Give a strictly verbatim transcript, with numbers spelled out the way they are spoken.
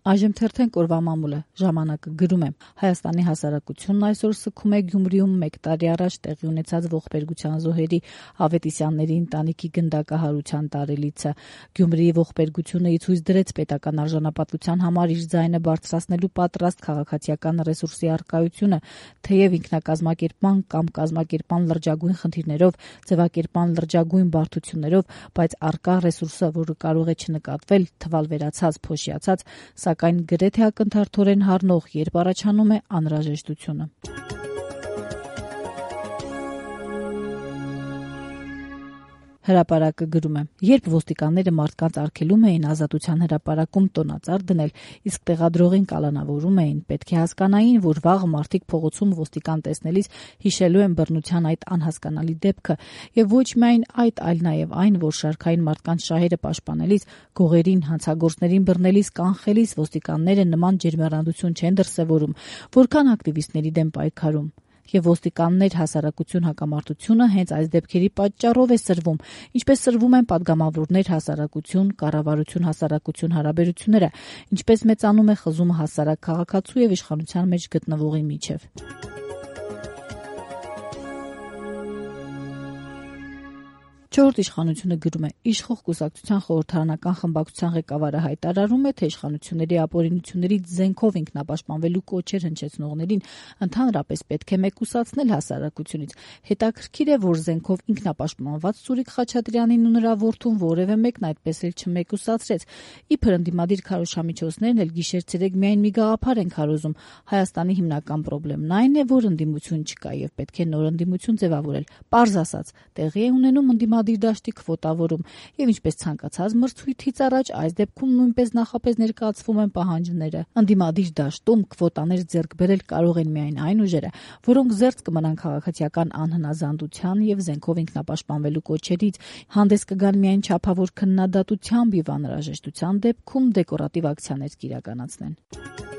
Այժմ թերթենք օրվա մամուլը, ժամանակը գրում է. Հայաստանի հասարակությունն այսօր սգում է Գյումրիում մեկ տարի առաջ տեղի ունեցած ողբերգության զոհերի Ավետիսյանների ընտանիքի գնդակահարության տարելիցը։ Գյումրիի ողբերգությունը ի ցույց դրեց պետական արժանապատվության համար իր ձայնը բարձրացնելու պատրաստ քաղաքացիական ռեսուրսի առկայությունը, թեև ինքնակազմակերպման կամ կազմակերպման լրջագույն խնդիրներով, ձևակերպման լրջագույն բարդություններով, բայց առկա ռեսուրսը, որը կարող է չնկատվել, թվալ վերացած, փոշիացած, սակայն գրեթե ակնթարթորեն հառնող, երբ առաջանում է անհրաժեշտությունը։ Հրապարակը գրում է. երբ ոստիկանները մարդկանց արգելում էին ազատության հրապարակում տոնածառ դնել, իսկ տեղադրողին կալանավորում էին, պետք է հասկանային, որ վաղը մարդիկ փողոցում ոստիկան տեսնելիս հիշելու են բռնության այդ անհասկանալի դեպքը, եւ ոչ միայն այդ, այլ նաեւ այն, որ շարքային մարդկանց շահերը պաշտպանելիս, գողերին, հանցագործներին բռնելիս, կանխելիս ոստիկանները նման ջերմեռանդություն չեն դրսևորում, որքան ակտիվիստների դեմ պայքարում։ Եվ ոստիկաններ հասարակություն հակամարտությունը հենց այս դեպքերի պատճառով է սրվում, ինչպես սրվում են պատգամավորներ հասարակություն, կառավարություն հասարակություն հարաբերությունները, ինչպես մեծանում է խզումը հասարակ քաղաքացու եւ իշխանության մեջ գտնվողի միջեւ։ Չորրորդ իշխանությունը գրում է. իշխող կուսակցության խորհրդարանական խմբակցության ղեկավարը հայտարարում է, թե իշխանությունների ապօրինություններից զենքով ինքնապաշտպանվելու կոչեր հնչեցնողներին ընդհանրապես պետք է մեկուսացնել հասարակությունից։ Հետաքրքիր է, որ զենքով ինքնապաշտպանված Սուրիկ Խաչատրյանին ու նրա որդուն որևէ մեկն այդպես էլ չմեկուսացրեց։ Իբր ընդդիմադիր քարոզչամիջոցներն էլ գիշեր-ցերեկ միայն մի գաղափար են քարոզում։ Հայաստանի հիմնական խնդիրն այն է, որ ընդդիմություն չկա եւ պետք է նոր ընդդիմություն ձևավորել։ Պարզ ասած, տեղի է ունենում ընդդիմադիր դաշտի քվոտավորում, եւ ինչպես ցանկացած մրցույթից առաջ այս դեպքում նույնպես նախապես ներկայացվում են պահանջները։ Ընդդիմադիր դաշտում քվոտաներ ձեռք բերել կարող են միայն այն ուժերը, որոնք զերծ կմնան քաղաքացիական անհնազանդության եւ զենքով ինքնապաշտպանվելու կոչերից, հանդես կգան միայն չափավոր քննադատությամբ եւ անհրաժեշտության դեպքում դեկորատիվ ակցիաներ կիրականացնեն։